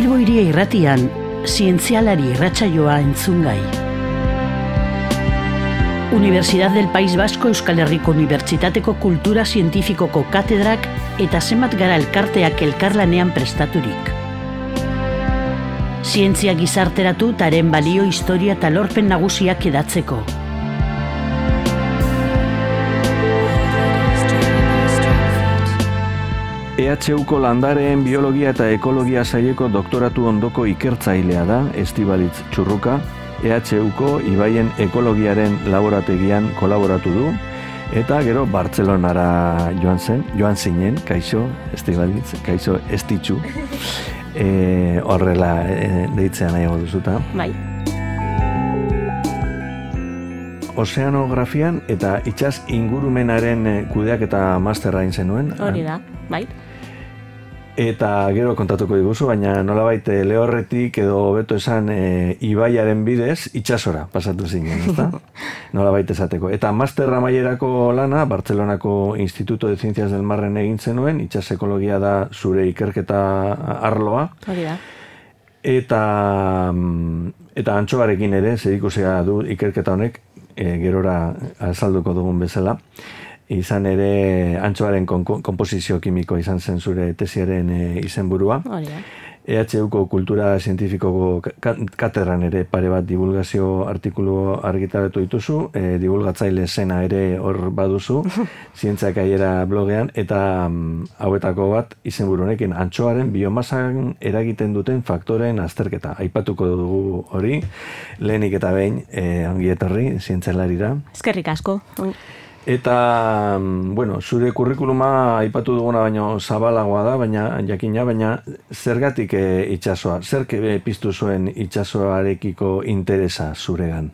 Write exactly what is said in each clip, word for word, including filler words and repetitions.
Bilbo Hiria Irratian, zientzialari irratsaioa entzungai. Universidad del País Vasco Euskal Herriko Unibertsitateko Kultura Zientifikoko katedrak eta zenbat gara elkarteak elkarlanean prestaturik. Zientzia gizarteratu taren balio, historia eta lorpen nagusiak edatzeko. E H Uko landareen biologia eta ekologia saileko doktoratu ondoko ikertzailea da Estibalitz Txurruka. E H Uko ibaien ekologiaren laborategian kolaboratu du, eta gero Bartzelonara joan zen, joan zinen, kaixo, Estibalitz, kaixo, estitxu, e, horrela e, deitzea nahiago duzuta. Bai. Ozeanografian eta itsas ingurumenaren kudeak eta masterra egin zenuen. Hori da, bai. Eta gero kontatuko diguzu, baina nolabait lehorretik edo hobeto esan e, ibaiaren bidez itsasora pasatu zinen, ezta? Nolabait esateko. Eta masterra mailerako lana Bartzelonako Instituto de Ciencias del Marren egin zenuen, itsas ekologia da zure ikerketa arloa. Hori da. Eta eta antxoarekin ere zerikusia du ikerketa honek, e, gerora azalduko dugun bezala. Izan ere antxoaren konposizio kimiko izan zen zure tesiaren e, izenburua. Hori da. E H Uko kultura zientifikoko katedran ere pare bat divulgazio artikulu argitaratu dituzu, e, divulgatzaile zena ere hor baduzu, zientziak aiera blogean, eta um, hauetako bat izenburu honekin antxoaren biomasan eragiten duten faktoren azterketa. Aipatuko dugu hori, lehenik eta behin e, ongi etorri zientzialarira. Eskerrik asko. Eta, bueno, zure kurrikuluma aipatu duguna baino zabalagoa da, baina jakina, baina zergatik e, itsasoa? Zerk e, piztu zuen itsasoarekiko interesa zuregan?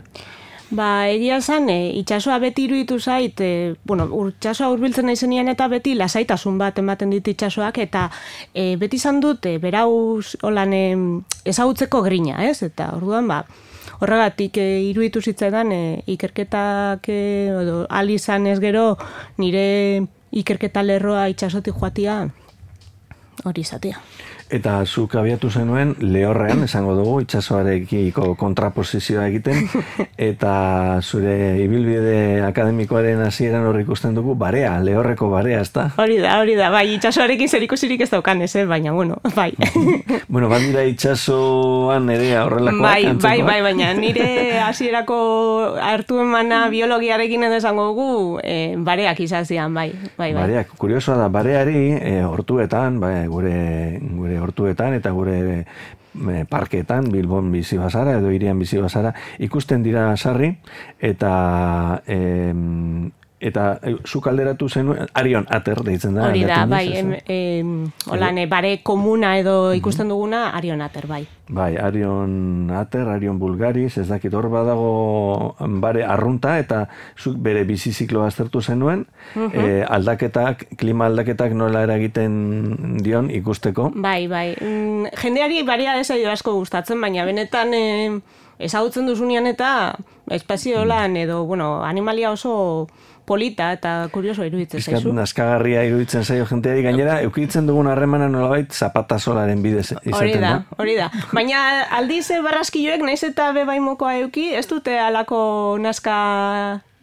Ba, egia esan, e, itsasoa beti iruditu zait, e, bueno, itsasoa hurbiltzen naizenean eta beti lasaitasun bat ematen dit itsasoak, eta e, beti izan dut, e, berauz holan e, ezagutzeko grina, ez? Eta orduan, ba, horregatik e, iruditu zitzaidan e, ikerketak e, edo ahal izan ez gero nire ikerketa lerroa itsasotik joatia hori izatea. Eta zuk abiatu zenuen lehorrean, esango dugu, itsasoarekiko kontraposizioa egiten, eta zure ibilbide akademikoaren hasieran hor ikusten dugu barea, lehorreko barea, ezta? Hori da, hori da, bai, itsasoarekin zerikusirik ez daukan ez, baina, bueno, bai. Bueno, bandira itsasoan ere horrelakoak bai, antzekoak? Bai, bai, baina nire hasierako hartu emana biologiarekin edo esango dugu, e, bareak izan zian, bai, bai, bai. Bareak, kuriosoa da, bareari e, hortuetan, bai, gure, gure hortuetan eta gure e, parketan, Bilbon bizi bazara edo hirian bizi bazara, ikusten dira sarri eta e, eta e, zuk alderatu zenuen, Arion Ater deitzen da. Hori da, bai, em, em, holan, bare komuna edo ikusten duguna, Arion Ater, bai. Bai, Arion Ater, Arion Bulgaris, ez dakit hor badago bare arrunta eta zuk bere bizizikloa aztertu zenuen, uh-huh. e, aldaketak, klima aldaketak nola eragiten dion ikusteko. Bai, bai, mm, jendeari baria desaio asko gustatzen, baina benetan e, ezagutzen duzunean eta espaziolan edo, bueno, animalia oso polita eta kurioso iruditzen zaizu. Piskat naskagarria iruditzen zaio jenteari, gainera eukitzen dugun harremana nolabait zapatazolaren bidez izaten da. Hori da, hori da. Baina aldiz barraskiloek naiz eta bebaimokoa euki, ez dute alako naska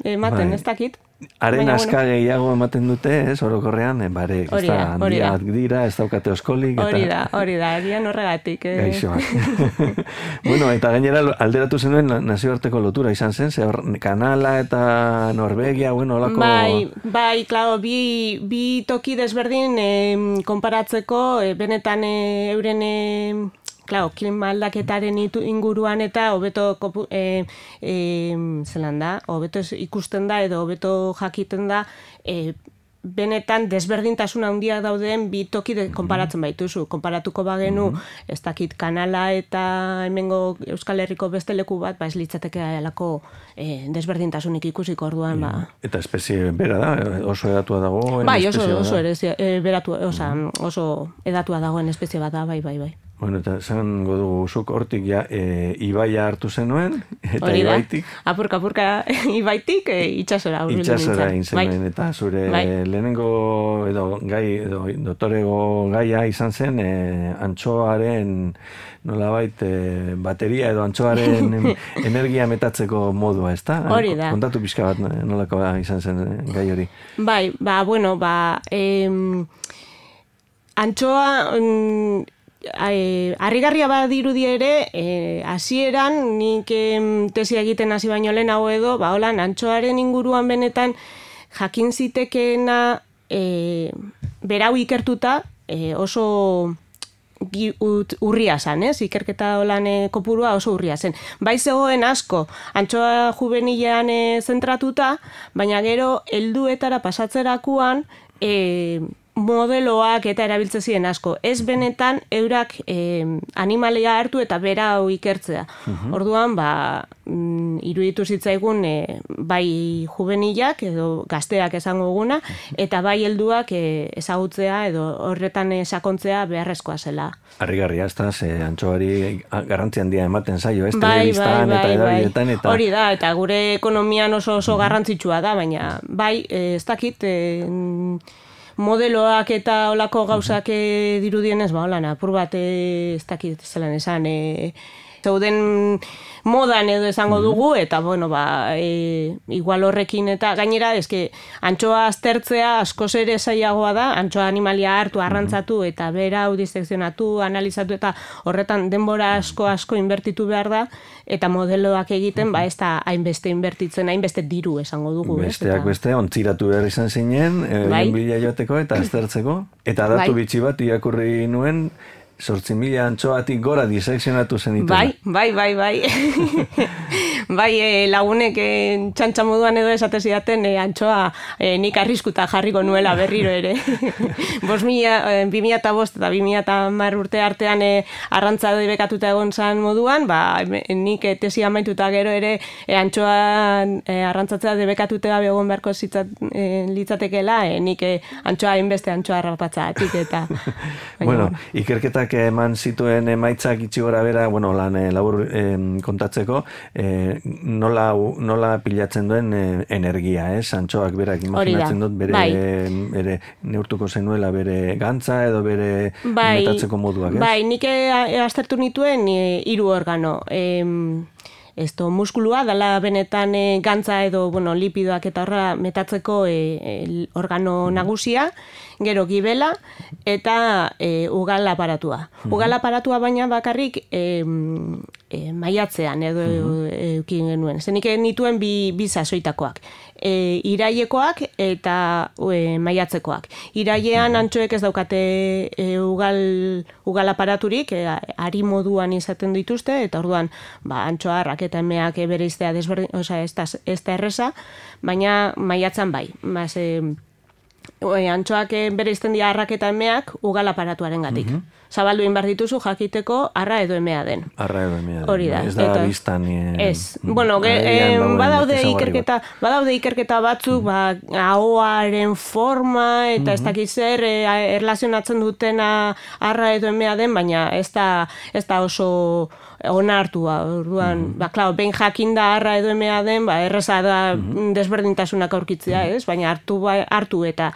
ematen, bai. Ez dakit. Haren aska bueno. Gehiago ematen dute, ez, orokorrean, bare, ez da, handiak dira, ez daukate oskolik. Hori da, hori da, egian horregatik. Eh. Gaixoak. Bueno, eta gainera alderatu zenuen nazioarteko lotura izan zen, ze Kanala eta Norvegia, bueno, olako... Bai, bai, klaro, bi, bi toki desberdin eh, konparatzeko, eh, benetan eh, euren... Eh, Claro, klima aldaketaren inguruan eta hobeto e, e, zelan da, hobeto ikusten da edo hobeto jakiten da e, benetan desberdintasun handia dauden bi toki konparatzen baituzu. Konparatuko bagenu, mm-hmm. ez dakit Kanala eta hemengo Euskal Herriko beste leku bat, ba ez litzateke alako e, desberdintasunik ikusiko orduan. Ba. Eta espezie bera da, oso edatua dago. Bai, oso, oso, ere, e, beratu, osa, oso edatua dagoen espezie bat da, bai, bai, bai. Bueno, eta esan godu zuk hortik ja, e, ibaia hartu zenuen, eta Hori da. ibaitik. Apurka, apurka ibaitik e, itxasora. hurbildu Itxasora nintzen. egin zenuen, Bai. eta zure Bai. lehenengo edo gai, edo dotorego gaia izan zen, e, antxoaren nolabait e, bateria edo antxoaren em, energia metatzeko modua, ezta? Hori da. Kontatu pixka bat nolakoa izan zen e, gai hori. Bai, ba, bueno, ba, em, antxoa, mm, e, harrigarria badirudi ere, e, hasieran nik em, tesia egiten hasi baino lehenago edo, ba, holan, antxoaren inguruan benetan jakin zitekeena e, berau ikertuta e, oso gi- ut- urria zen, ez? Ikerketa holan e, kopurua oso urria zen. Bai zegoen asko, antxoa juvenilean e, zentratuta, baina gero helduetara pasatzerakuan e, modeloak eta erabiltzen ziren asko. Ez benetan eurak e, animalia hartu eta berau ikertzea. Orduan, ba, mm, iruditu zitzaigun e, bai juvenilak edo gazteak esango guna, eta bai helduak e, ezagutzea edo horretan e, sakontzea beharrezkoa zela. Harrigarria, ez da, ze antxoari garrantzi handia ematen zaio, ez? Bai, Telebistan bai, eta bai, edabidetan, bai. eta... Hori da, eta gure ekonomian oso oso garrantzitsua da, baina bai, eh, ez dakit, eh, modeloak eta olako gauzak eh, dirudienez, ba, holan, apur bat, eh, ez dakit, zelan esan, eh, zeuden modan edo esango dugu, eta, bueno, ba, e, igual horrekin, eta gainera, eske, antxoa aztertzea askoz ere zailagoa da, antxoa animalia hartu, arrantzatu, eta berau disekzionatu, analizatu, eta horretan denbora asko asko inbertitu behar da, eta modeloak egiten, ba, ez da hainbeste inbertitzen, hainbeste diru esango dugu. Besteak ez? beste, ontziratu behar izan zinen, Bai. egin bila joateko eta aztertzeko. Eta datu Bai. bitxi bat irakurri nuen, sortzi mila antxoatik gora disekzionatu zenituen. Bai, bai, bai, bai. bai, e, lagunek e, txantxa moduan edo esate zidaten e, antxoa e, nik arriskuta jarriko nuela berriro ere. Bos mila, e, bi mila eta bost eta bi mila eta hamar urte artean e, arrantza debekatuta egon zan moduan, ba, nik e, tesi amaituta gero ere e, antxoa e, arrantzatzea debekatuta egon beharko zitzat, e, litzatekela, e, nik e, antxoa hainbeste antxoa harrapatzatik eta... Bueno, ikerketak eman zituen emaitzak itxi gora bera, bueno, lan eh, labur eh, kontatzeko, eh, nola, nola pilatzen duen eh, energia, ez? Antxoak berak imaginatzen dut bere, bai. bere neurtuko zenuela bere gantza edo bere bai, metatzeko moduak, ez? Bai, nik e, aztertu nituen e, hiru organo. Em, Esto, muskulua, dala benetan e, gantza edo bueno, lipidoak eta horra metatzeko e, e, organo nagusia, gero gibela eta e, ugal aparatua. Ugal aparatua baina bakarrik e, e, maiatzean edo eukin genuen. Zenik nituen bi, bi sasoitakoak. E, irailekoak eta e, maiatzekoak. Irailean antxoek ez daukate e, ugal, ugal aparaturik, e, ari moduan izaten dituzte, eta orduan ba, antxoarrak eta emeak bere iztea desberdin, oza, ez da, ez da erreza, baina maiatzan bai. Baz, e, e, antxoak bere izten dira arrak eta emeak ugal aparatuaren gatik. Uh -huh. Zabaldu inbar dituzu jakiteko arra edo emea den. Arra edo emea den. Hori da. Ez da eta, biztan. Eh, ez. Bueno, ge, eh, badaude ikerketa, badaude ikerketa batzuk, ba, ahoaren forma eta ez dakiz zer eh, erlazionatzen dutena arra edo emea den, baina ez da, ez da oso onartua. Orduan, mm -hmm. ba, klaro, behin jakinda arra edo emea den, ba, erreza da mm -hmm. desberdintasunak aurkitzea, ez? Baina hartu, hartu eta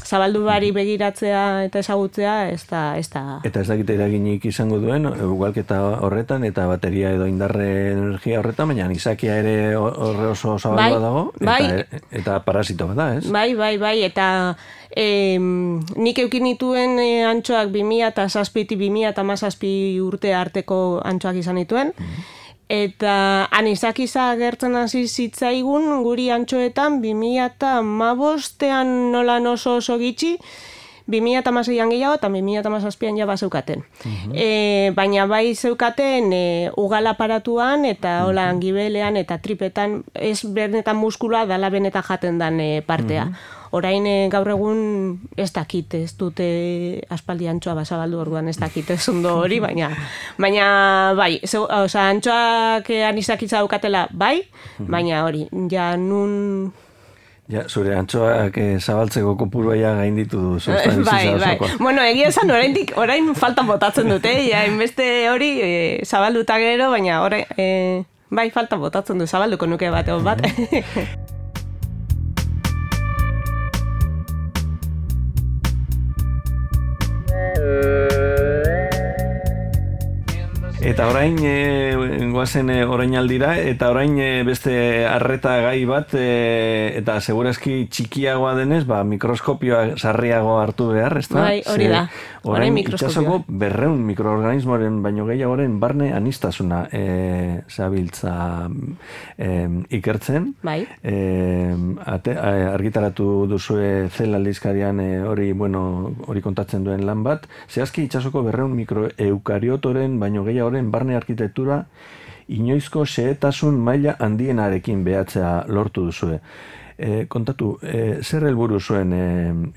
zabaldu bari begiratzea eta ezagutzea, ez da... Ez da... Eta ez dakite eraginik izango duen, ugalketa horretan, eta bateria edo indarre energia horretan, baina izakia ere horre oso zabaldua bai, dago, eta, bai. eta parasito bat da, ez? Bai, bai, bai, eta e, nik eukin nituen e, antxoak bi mila eta zazpitik bi mila eta hamazazpi urte arteko antxoak izan nituen, eta anizakiza gertzen hasi zitzaigun guri antxoetan bi mila eta hamabostean nolan oso oso gitxi, bi mila eta hamaseian gehiago eta bi mila eta hamazazpian ja bazeukaten. Uh-huh. E, baina bai zeukaten e, ugal aparatuan eta holan gibelean eta tripetan ez benetan muskulua dala benetan jaten dan e, partea. Uh-huh. Orain e, gaur egun ez dakit, ez dute aspaldi antxoa bazabaldu orduan ez dakit ez ondo hori, baina baina bai, zeu, oza, antxoak anizakitza daukatela bai, baina hori, ja nun... Ja, zure antxoak eh, zabaltzeko kopurua gainditu du. Bai, bai. Bueno, egia esan oraindik orain faltan botatzen dute, ja, inbeste hori e, zabalduta gero, baina orain, e, bai, faltan botatzen du, zabalduko nuke bat, egon bat. Eta orain, e, guazen e, orain aldira, eta orain e, beste arreta gai bat, e, eta segurazki txikiagoa denez, ba, mikroskopioa sarriago hartu behar, ez da? Bai, hori da. Orain itxasoko berreun mikroorganismoren baino gehiagoren barne anistasuna e, zabiltza e, ikertzen. Bai. E, ate, argitaratu duzue Cell aldizkarian e, hori, bueno, hori kontatzen duen lan bat. Zehazki itxasoko berreun mikroeukariotoren baino gehiago barne arkitektura inoizko xehetasun maila handienarekin behatzea lortu duzue. E, kontatu, e, zer helburu zuen e,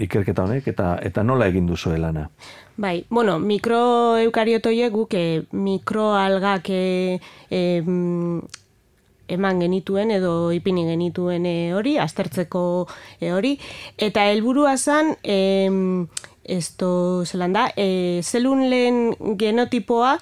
ikerketa honek eta eta nola egin duzue lana? Bai, bueno, mikroeukariotoiek guk e, mikroalgak e, e, eman genituen edo ipini genituen e, hori, aztertzeko e, hori, eta helburua zen e, esto zelan da, e, zelulen genotipoa,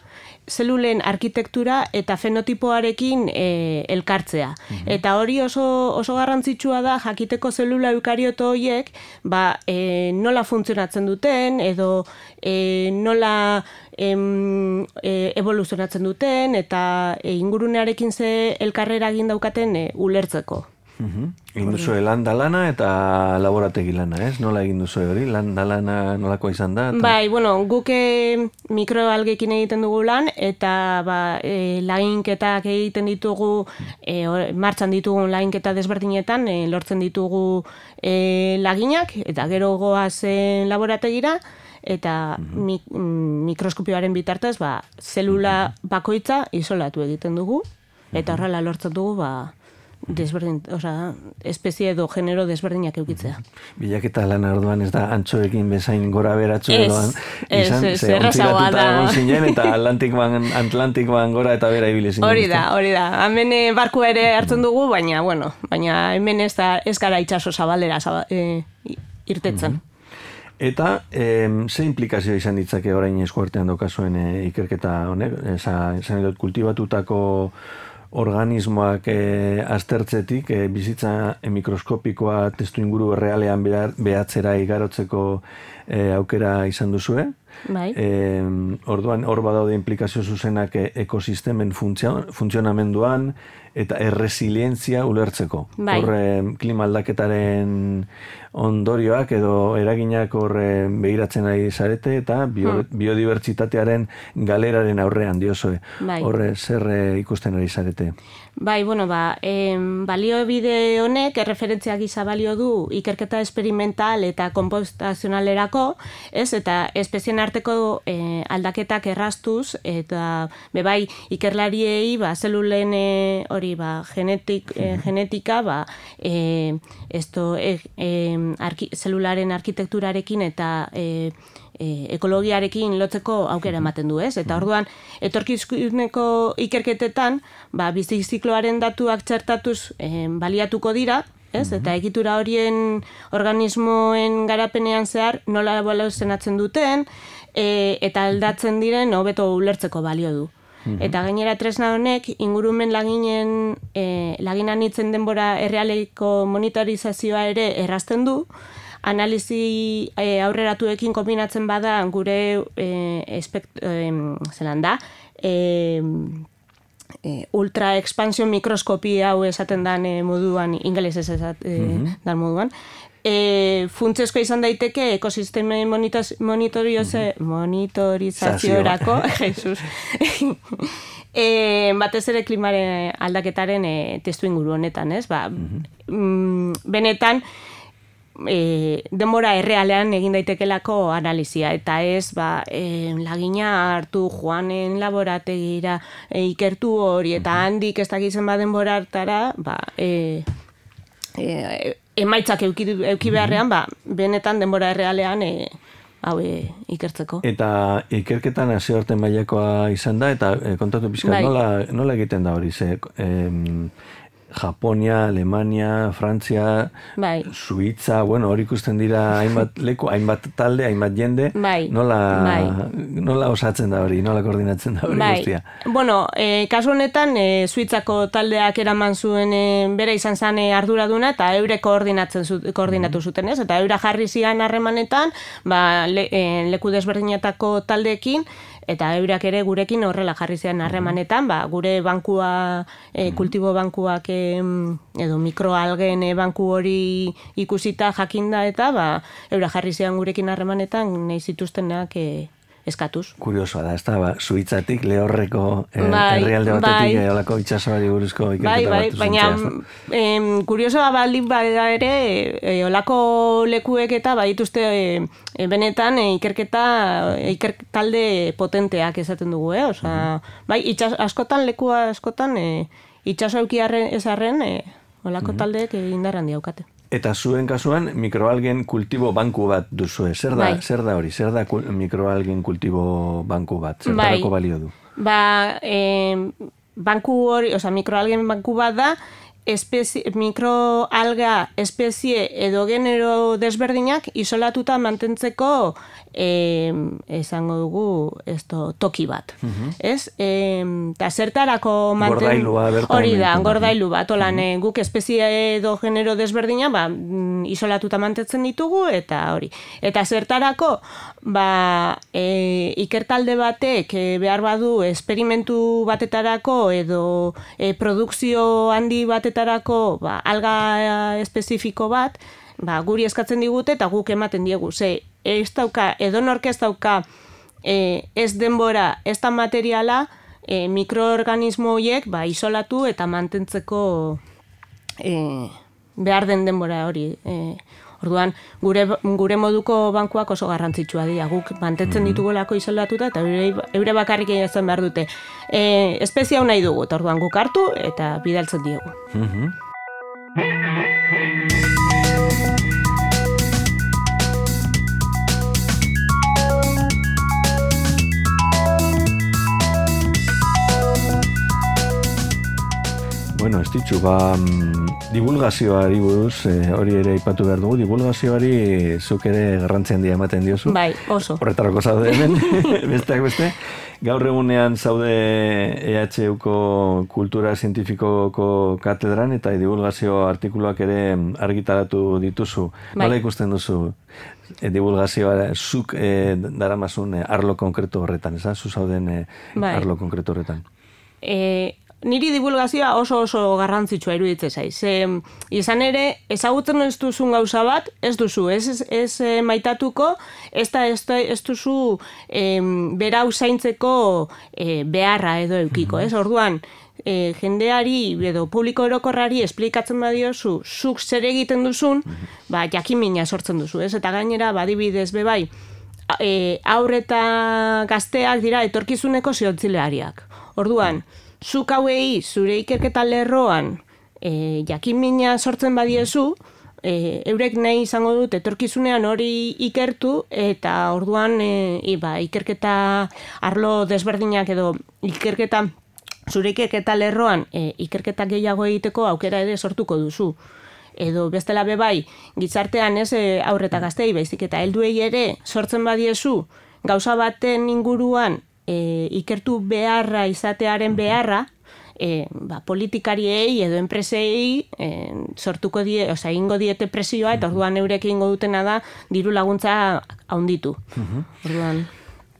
zelulen arkitektura eta fenotipoarekin e, elkartzea. Mm-hmm. Eta hori oso, oso garrantzitsua da jakiteko zelula eukarioto horiek ba, e, nola funtzionatzen duten edo e, nola em, e, evoluzionatzen duten eta e, ingurunearekin ze elkarrera egin daukaten e, ulertzeko. Egin uh-huh. duzue landa lana eta laborategi lana, ez? Nola egin duzue hori? Landa lana nolakoa izan da? Eta... Bai, bueno, guk mikroalgekin egiten dugu lan eta ba, e, laginketak egiten ditugu, e, martxan ditugun laginketa desberdinetan, e, lortzen ditugu e, laginak eta gero goazen laborategira eta uh-huh. mik, mikroskopioaren bitartez ba, zelula bakoitza isolatu egiten dugu eta horrela lortzen dugu ba, desberdin, osea, espezie edo genero desberdinak eukitzea. Bilaketa lan orduan ez da antxoekin bezain gora beratxo edoan izan, ez, ze ontziratuta egon zinen eta Atlantikoan, Atlantikoan gora eta bera ibili zinen. Hori da, hori da. Hemen barku ere hartzen dugu, baina, bueno, baina hemen ez da, ez gara itxaso zabalera zaba, e, irtetzen. Eta e, ze implikazio izan ditzake orain eskuartean daukazuen e, ikerketa honek, esan edot kultibatutako organismoak e, aztertzetik, e, bizitza e, mikroskopikoa testu inguru realean behatzera igarotzeko e, aukera izan duzue. Bai. E, orduan, hor badaude implikazio zuzenak e, ekosistemen funtzionamenduan eta erresilientzia ulertzeko. Bai. Hor, e, klima aldaketaren ondorioak edo eraginak hor e, begiratzen ari zarete eta bio, hmm. biodibertsitatearen galeraren aurrean diozue. Bai. Horre, zer e, ikusten ari zarete? Bai, bueno, ba, em, baliobide honek erreferentzia gisa balio du ikerketa esperimental eta konpostazionalerako, ez? Eta espezien arteko e, aldaketak erraztuz eta bebai ikerlariei ba zelulen e, hori ba genetik e, genetika ba e, esto e, e, arki, zelularen arkitekturarekin eta e, E, ekologiarekin lotzeko aukera ematen du, ez? Eta orduan, etorkizuneko ikerketetan, ba, bizizikloaren datuak txertatuz e, baliatuko dira, ez? Eta egitura horien organismoen garapenean zehar nola eboluzionatzen duten, e, eta aldatzen diren hobeto ulertzeko balio du. Eta gainera tresna honek ingurumen laginen e, laginan hitzen denbora errealeko monitorizazioa ere errazten du, analizi e, aurreratuekin kombinatzen bada gure e, espekt, e, zelan da, e, e, ultra expansion mikroskopia hau esaten dan e, moduan, ingelesez esat, e, mm-hmm. dan moduan, e, funtsezko izan daiteke ekosistemen monitorize, mm-hmm. monitorizaziorako, Jesus, e, batez ere klimaren aldaketaren e, testu inguru honetan, ez? Ba, mm-hmm. benetan, E, denbora errealean egin daitekelako analizia eta ez ba, e, lagina hartu joanen laborategira e, ikertu hori eta handik ez dakizen ba denbora hartara ba, e, e, emaitzak euki, euki beharrean ba, benetan denbora errealean e, hau e, ikertzeko. Eta ikerketan hasi arte mailakoa izan da eta e, kontatu pizkat, bai. nola, nola egiten da hori ze... E, Japonia, Alemania, Frantzia, bai. Suitza, bueno, hori ikusten dira hainbat leku, hainbat talde, hainbat jende, bai. nola, bai. nola osatzen da hori, nola koordinatzen da hori bai. guztia. Bueno, e, kasu honetan, e, Suitzako taldeak eraman zuen e, bere izan zen e, arduraduna, eta eure koordinatzen zu, koordinatu zuten, ez? Eta eura jarri zian harremanetan, ba, le, e, leku desberdinetako taldeekin, eta eurak ere gurekin horrela jarri zean harremanetan, ba, gure bankua, e, kultibo bankuak e, edo mikroalgen e, banku hori ikusita jakinda eta ba, eurak jarri zean gurekin harremanetan nahi zituztenak e, eskatuz. Kuriosoa da, ez da, ba, Suitzatik, Lehorreko eh, bai, herrialde batetik, bai. eh, olako itxasoari buruzko ikerketa bai, bai, bat baina zuzentzea. em, kuriosoa baldin bada ere, e, olako lekuek eta badituzte e, e, benetan e, ikerketa, e, ikertalde potenteak esaten dugu, eh? Osa, uh-huh. bai, itxas, askotan, lekua askotan, e, itxaso eukiarren ezarren, e, olako uh-huh. taldeek e, indarran diaukate. Eta zuen kasuan, mikroalgen kultibo banku bat duzue. Zer da, bai. zer da hori? Zer da kul, mikroalgen kultibo banku bat? Zertarako bai. balio du? Ba, e, banku hori, oza, mikroalgen banku bat da, espezie, mikroalga espezie edo genero desberdinak isolatuta mantentzeko e, esango dugu esto, toki bat. Uh-huh. Ez? Eta zertarako manten... Gordailua bertan. Hori da, gordailu bat. Olan, uh-huh. guk espezie edo genero desberdina ba, isolatuta mantentzen ditugu eta hori. Eta zertarako ba, e, ikertalde batek e, behar badu esperimentu batetarako edo e, produkzio handi batetarako tarako ba, alga espezifiko bat, ba, guri eskatzen digute eta guk ematen diegu. Ze, ez dauka, edonork ez dauka e, ez denbora, ez da materiala, e, mikroorganismo horiek ba, isolatu eta mantentzeko e, behar den denbora hori. E, orduan, gure, gure moduko bankuak oso garrantzitsua dira. Guk mantentzen ditugolako isolatuta eta eure, eure bakarrik egin behar dute. E, espezia hau nahi dugu, eta orduan guk hartu eta bidaltzen diegu. Uh-huh. Bueno, ez ditxu, ba, divulgazioari buruz, eh, hori ere aipatu behar dugu, divulgazioari zuk ere garrantzi handia ematen diozu. Bai, oso. Horretarako zaude hemen, besteak beste. Gaur egunean zaude E H Uko kultura zientifikoko katedran eta divulgazio artikuluak ere argitaratu dituzu. Bai. Nola ikusten duzu e, divulgazioa, zuk e, daramazun e, arlo konkretu horretan, ez da? Zu zauden e, bai. Arlo konkretu horretan. E, niri divulgazioa oso oso garrantzitsua iruditzen zaiz. E, izan ere, ezagutzen ez duzun gauza bat, ez duzu, ez, ez, ez e, maitatuko, ez, da, ez, da, ez duzu e, berau zaintzeko e, beharra edo eukiko, ez? Orduan, e, jendeari edo publiko orokorrari esplikatzen badiozu, zuk zer egiten duzun, ba, jakimina sortzen duzu, ez? Eta gainera, badibidez bebai, e, aurre eta gazteak dira etorkizuneko ziontzileariak. Orduan, zuk hauei zure ikerketa lerroan e, jakinmina sortzen badiezu, e, eurek nahi izango dut etorkizunean hori ikertu eta orduan e, iba, ikerketa arlo desberdinak edo ikerketa zure ikerketa lerroan e, ikerketa gehiago egiteko aukera ere sortuko duzu. Edo bestela bebai, gizartean ez e, aurreta gaztei baizik eta helduei ere sortzen badiezu gauza baten inguruan E, ikertu beharra izatearen beharra e, ba, politikariei edo enpresei e, sortuko die, oza, ingo diete presioa eta orduan eurek ingo dutena da diru laguntza haunditu. Uh-huh. Orduan...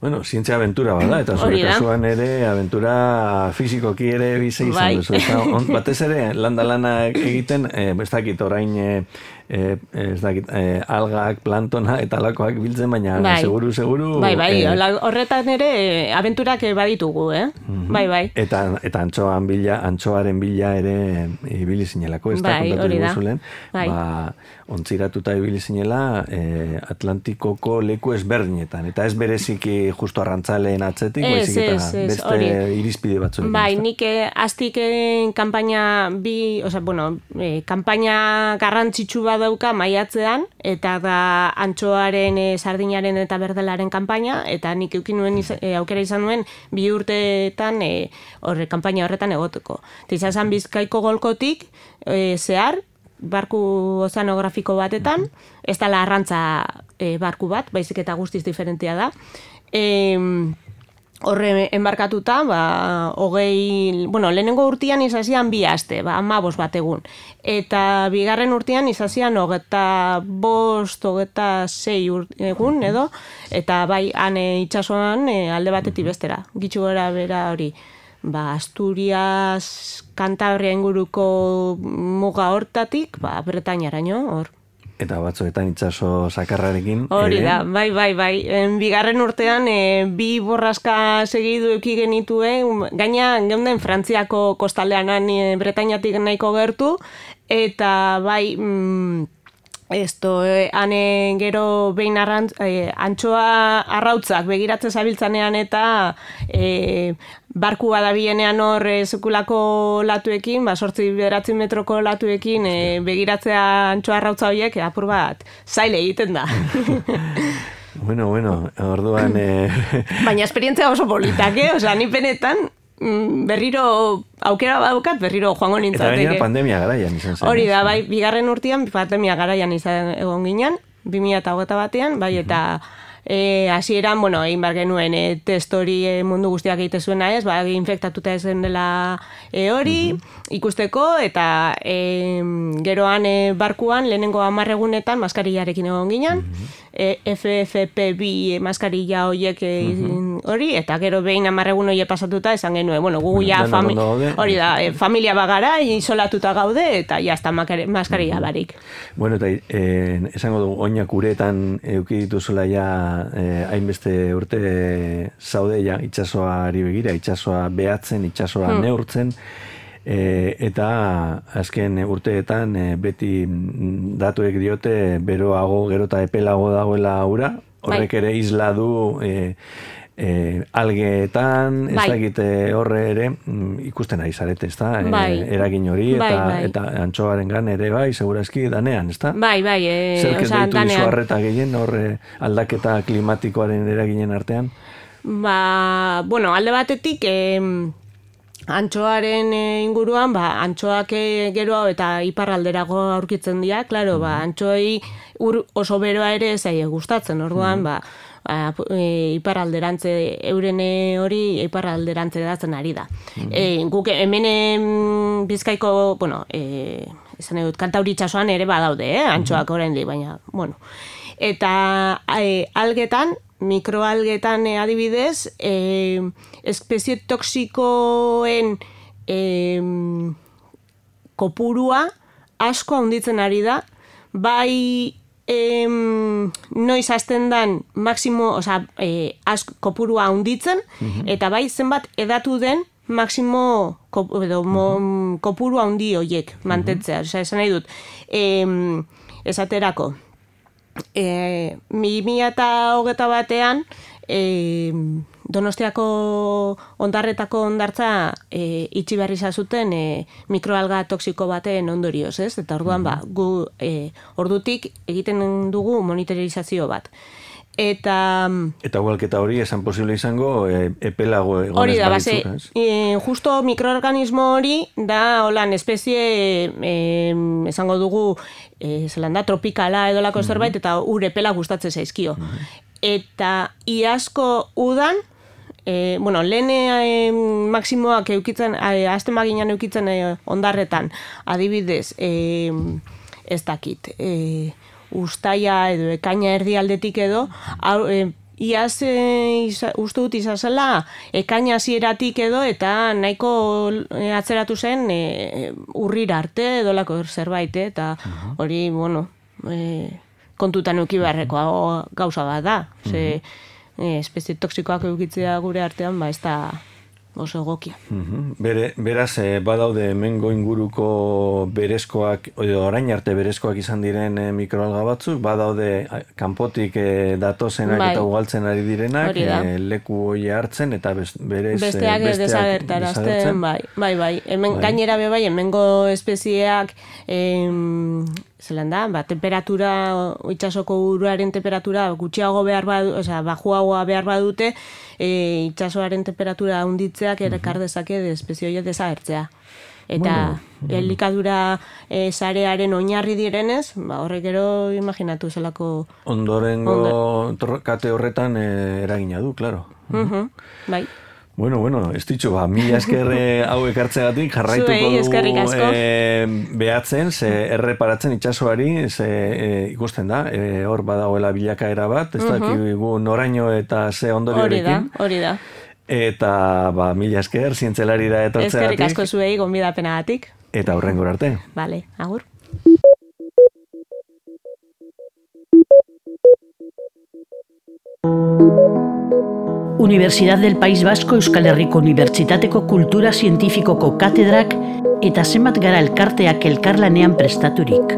Bueno, zientzia aventura bada, eta zure kasuan ere aventura fizikoki ere bizi izan bai. Duzu. Eta on, batez ere, landa lana egiten, eh, ez dakit orain, eh, eh, ez dakit, eh, algak, plantona eta alakoak biltzen, baina bai. seguru, seguru... Bai, bai, eh, horretan ere aventurak baditugu, eh? Uh-huh. Bai, bai. Eta, eta antxoan bila, antxoaren bila ere ibili zinelako, ez da bai, kontatu diguzulen. Bai. Ba, ontziratuta ibili zinela eh, Atlantikoko leku ezberdinetan, eta ez bereziki justo arrantzaleen atzetik, Ez, baizik eta ez, ez, beste hori. irizpide batzuekin. Bai, ezta? nik eh, aztik eh, kanpaina bi, oza, bueno, eh, kanpaina garrantzitsu bat dauka maiatzean, eta da antxoaren, eh, sardinaren eta berdelaren kanpaina, eta nik eukin nuen iz, eh, aukera izan nuen bi urteetan eh, horre, kanpaina horretan egoteko. Eta izan zen Bizkaiko golkotik eh, zehar, barku ozeanografiko batetan, ez da arrantza e, barku bat, baizik eta guztiz diferentea da. E, horre enbarkatuta, ba, hogei, bueno, lehenengo urtean izazian bi aste, ba, amabos bat egun. Eta bigarren urtean izazian hogeta bost, hogeta sei egun, edo, eta bai, han e, itxasoan e, alde batetik bestera, gitxu gara bera hori. Ba, Asturias, Kantabria inguruko muga hortatik, ba, Bretainaraino, hor. Eta batzuetan itsaso sakarrarekin. Hori ere. da, bai, bai, bai. En, bigarren urtean, e, bi borraska segidu eki genitue, gaina geunden Frantziako kostaldean e, Bretainatik nahiko gertu, eta bai... Mm, Esto, eh, ane gero behin arrantz, eh, antxoa arrautzak begiratzen zabiltzanean eta eh, barku badabienean hor eh, sekulako latuekin, ba, sortzi bederatzi metroko latuekin eh, begiratzea antxoa arrautza horiek apur bat zaile egiten da. Bueno, bueno, orduan... Eh... Baina esperientzia oso politak, eh? Osea, ni benetan berriro aukera badaukat, berriro joango nintzateke. Eta gainera pandemia garaian izan zen. Hori da, bai, bigarren urtean pandemia garaian izan egon ginen, bi mila hogeita batean, bai, eta e, hasieran, bueno, egin bar genuen e, test hori e, mundu guztiak egite zuena ez, ba, infektatuta ezen dela e, hori, ikusteko, eta e, geroan e, barkuan, lehenengo hamar egunetan maskarillarekin egon ginen, e, F F P bi maskarilla horiek e, hori, eta gero behin hamar egun horiek pasatuta esan genuen, bueno, gugu ja fami hori da, e, familia bagara, isolatuta gaude, eta jazta maskarilla barik. Bueno, eta eh, esango dugu, oinak uretan euki dituzula ja eh, hainbeste urte eh, zaude ja itsasoari begira, itsasoa behatzen, itsasoa hmm. neurtzen, e, eta azken urteetan e, beti datuek diote beroago, gero eta epelago dagoela ura, horrek ere isla du e, e, algeetan, ez dakite horre ere ikusten ari zarete, ez da? Bai. E, eragin hori, eta, bai, bai. eta antxoaren gan ere bai, segurazki danean, ez da? Bai, bai, e, Zerket oza, deitu danean. dizu arreta gehien, horre aldaketa klimatikoaren eraginen artean? Ba, bueno, alde batetik, eh, antxoaren inguruan, ba, antxoak gero eta iparralderago aurkitzen dira, claro, ba, antxoei ur oso beroa ere zaie gustatzen, orduan, ba, ba e, iparralderantze euren hori iparralderantze datzen ari da. Mm-hmm. E, guk hemen Bizkaiko, bueno, e, esan edut, Kantauri itsasoan ere badaude, eh, antxoak mm-hmm. oraindik, baina, bueno. Eta e, algetan, mikroalgetan e, adibidez, e, espezie toksikoen e, kopurua asko handitzen ari da, bai em, noiz hasten dan maksimo, oza, e, asko kopurua handitzen, mm-hmm. eta bai zenbat edatu den maksimo kop, edo, mo, mm-hmm. kopurua handi horiek mantentzea. Mm-hmm. Oza, esan nahi dut, em, esaterako, E, mi mila eta hogeta batean e, Donostiako ondarretako ondartza e, itxi berri zazuten e, mikroalga toksiko baten ondorioz, ez? Eta orduan ba, gu e, ordutik egiten dugu monitorizazio bat. Eta eta ugalketa hori esan posible izango e, epelago egonez hori da, balitzu, base, e, justo mikroorganismo hori da holan espezie e, esango dugu e, zelan da, tropikala edolako mm-hmm. zerbait eta ur epela gustatzen zaizkio. Mm-hmm. Eta iazko udan E, bueno, lehen e, maksimoak eukitzen, e, azten baginan eukitzen e, ondarretan, adibidez, e, ez dakit, e, ustaia edo ekaina erdialdetik edo, au, e, iaz e, iza, uste dut izazela ekaina hasieratik edo eta nahiko e, atzeratu zen e, urrira arte edolako zerbait, eta hori, bueno, e, kontutan euki beharreko gauza bat da, ze, E, espezie toksikoak eukitzea gure artean, ba, ez da oso egokia. Mhm. Bere, beraz, eh, badaude hemengo inguruko berezkoak, edo orain arte berezkoak izan diren eh, mikroalga batzuk, badaude eh, kanpotik eh, datozenak Bai. eta ugaltzen ari direnak, Hori da. eh, leku hoi hartzen, eta best, berez, eh, Besteak desagertarazten, desagertzen. bai, bai, bai. Hemen, Bai. gainera be bai, hemengo espezieak, em, zelan da, ba, temperatura, itsasoko uruaren temperatura gutxiago behar badu, osea, bajuagoa behar badute, e, itsasoaren temperatura handitzeak erekar dezake espezie horiek desagertzea. Eta Bueno, elikadura e, sarearen oinarri direnez, ba, horrek gero imaginatu zelako... Ondorengo Ondo. kate horretan eh, eragina du, claro. Uh-huh, bai. Bueno, bueno, ez ditxo, ba, mila esker eh, hau ekartzegatik jarraituko Zuei, eskerrik du asko. eh, behatzen, ze erreparatzen itsasoari, ze eh, ikusten da, eh, hor badagoela bilakaera bat, ez Mhm. dakigu noraino eta ze Hori da, ondoriorekin. hori da. Eta, ba, mila esker, zientzelarira Eskerrik etortzegatik, asko zuei gonbidapenagatik. eta hurrengora arte. Vale, agur. Universidad del País Vasco Euskal Herriko Unibertsitateko Kultura Zientifikoko katedrak eta zenbat gara elkarteak elkarlanean prestaturik.